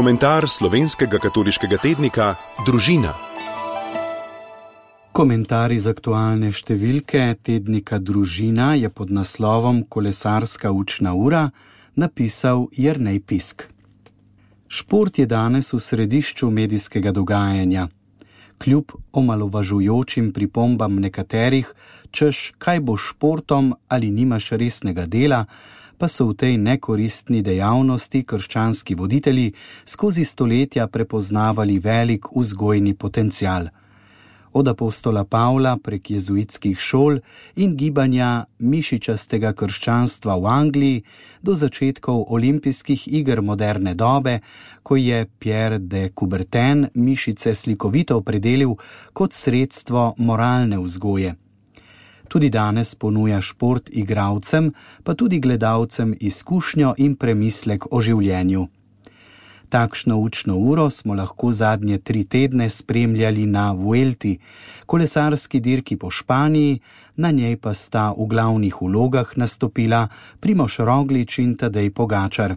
komentar slovenskega katoliškega tednika Družina. Komentar iz aktualne številke tednika Družina je pod naslovom Kolesarska učna ura napisal Jernej Pisk. Šport je danes v središču medijskega dogajanja. Kljub omalovažujočim pripombam nekaterih, češ kaj bo športom ali nimaš resnega dela, pa so v tej nekoristni dejavnosti krščanski voditelji skozi stoletja prepoznavali velik vzgojni potencial. Od apostola Pavla prek jezuitskih šol in gibanja mišičastega krščanstva v Angliji do začetkov olimpijskih iger moderne dobe, ko je Pierre de Coubertin mišice slikovito opredelil kot sredstvo moralne vzgoje. Tudi danes ponuja šport igralcem, pa tudi gledalcem izkušnjo in premislek o življenju. Takšno učno uro smo lahko zadnje 3 tedne spremljali na Vuelti, kolesarski dirki po Španiji, na njej pa sta v glavnih vlogah nastopila Primož Roglič in Tadej Pogačar.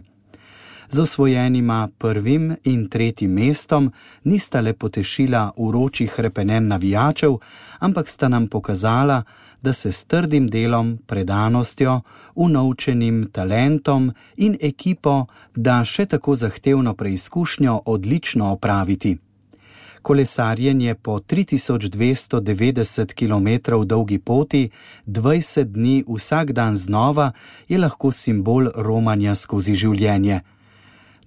Z osvojenima 1. in 3. mestom nista le potešila vročih hrepenenj navijačev, ampak sta nam pokazala, da se s trdim delom, predanostjo, unovčenim talentom in ekipo da še tako zahtevno preizkušnjo odlično opraviti. Kolesarjenje po 3290 km dolgi poti, 20 dni vsak dan znova, je lahko simbol romanja skozi življenje.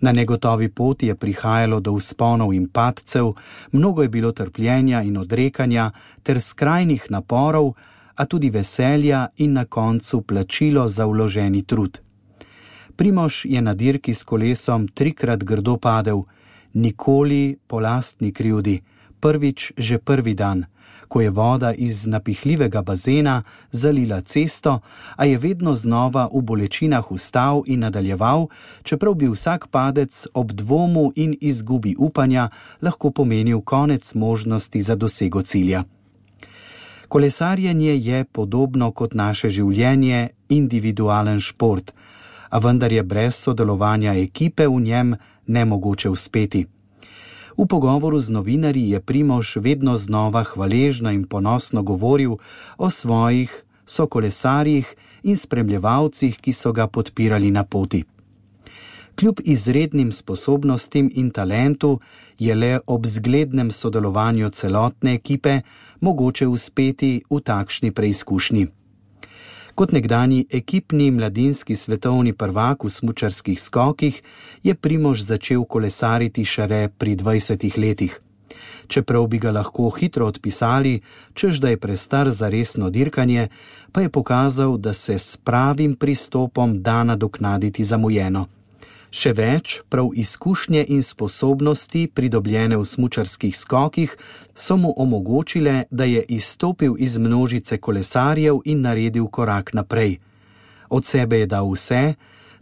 Na negotovi poti je prihajalo do vzponov in padcev, mnogo je bilo trpljenja in odrekanja ter skrajnih naporov, a tudi veselja in na koncu plačilo za vloženi trud. Primož je na dirki s kolesom 3-krat grdo padel, nikoli po lastni krivdi, prvič že prvi dan, ko je voda iz napihljivega bazena zalila cesto, a je vedno znova v bolečinah vstal in nadaljeval, čeprav bi vsak padec ob dvomu in izgubi upanja lahko pomenil konec možnosti za dosego cilja. Kolesarjenje je podobno kot naše življenje individualen šport, a vendar je brez sodelovanja ekipe v njem nemogoče uspeti. V pogovoru z novinarji je Primož vedno znova hvaležno in ponosno govoril o svojih sokolesarjih in spremljevalcih, ki so ga podpirali na poti. Kljub izrednim sposobnostim in talentu je le ob zglednem sodelovanju celotne ekipe mogoče uspeti v takšni preizkušnji. Kot nekdanji ekipni mladinski svetovni prvak v smučarskih skokih je Primož začel kolesariti šele pri 20 letih. Čeprav bi ga lahko hitro odpisali, češ da je prestar za resno dirkanje, pa je pokazal, da se s pravim pristopom da nadoknaditi zamujeno. Še več, prav izkušnje in sposobnosti, pridobljene v smučarskih skokih, so mu omogočile, da je izstopil iz množice kolesarjev in naredil korak naprej. Od sebe je dal vse,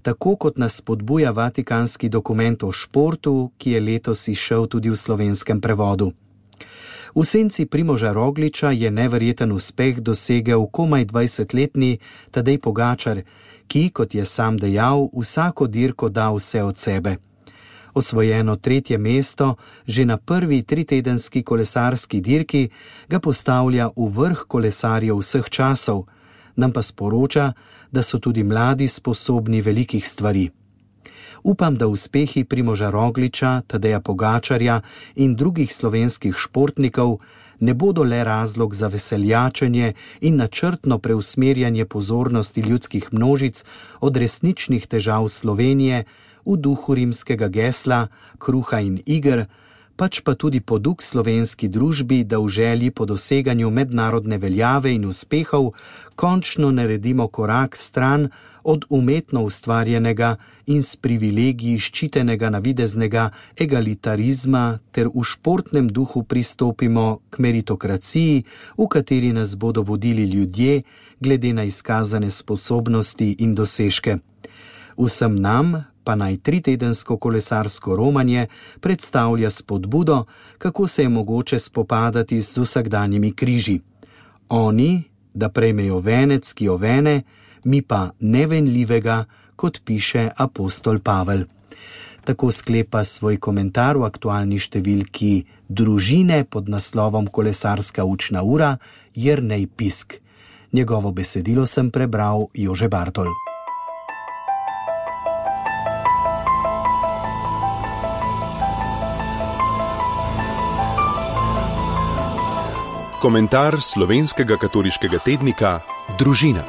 tako kot nas spodbuja vatikanski dokument o športu, ki je letos izšel tudi v slovenskem prevodu. V senci Primoža Rogliča je neverjeten uspeh dosegel komaj 20-letni Tadej Pogačar, ki, kot je sam dejal, vsako dirko da vse od sebe. Osvojeno 3. mesto že na prvi 3-tedenski kolesarski dirki ga postavlja v vrh kolesarjev vseh časov, nam pa sporoča, da so tudi mladi sposobni velikih stvari. Upam, da uspehi Primoža Rogliča, Tadeja Pogačarja in drugih slovenskih športnikov ne bodo le razlog za veseljačenje in načrtno preusmerjanje pozornosti ljudskih množic od resničnih težav Slovenije v duhu rimskega gesla, kruha in iger, pač pa tudi poduk slovenski družbi, da v želji po doseganju mednarodne veljave in uspehov končno naredimo korak stran od umetno ustvarjenega in s privilegiji ščitenega navideznega egalitarizma ter v športnem duhu pristopimo k meritokraciji, v kateri nas bodo vodili ljudje glede na izkazane sposobnosti in dosežke. Vsem nam pa naj 3-tedensko kolesarsko romanje predstavlja spodbudo, kako se je mogoče spopadati z vsakdanjimi križi. Oni, da prejmejo venec, ki jo vene, mi pa nevenljivega, kot piše apostol Pavel. Tako sklepa svoj komentar v aktualni številki Družine pod naslovom Kolesarska učna ura Jernej Pisk. Njegovo besedilo sem prebral Jože Bartol. Komentar slovenskega katoliškega tednika Družina.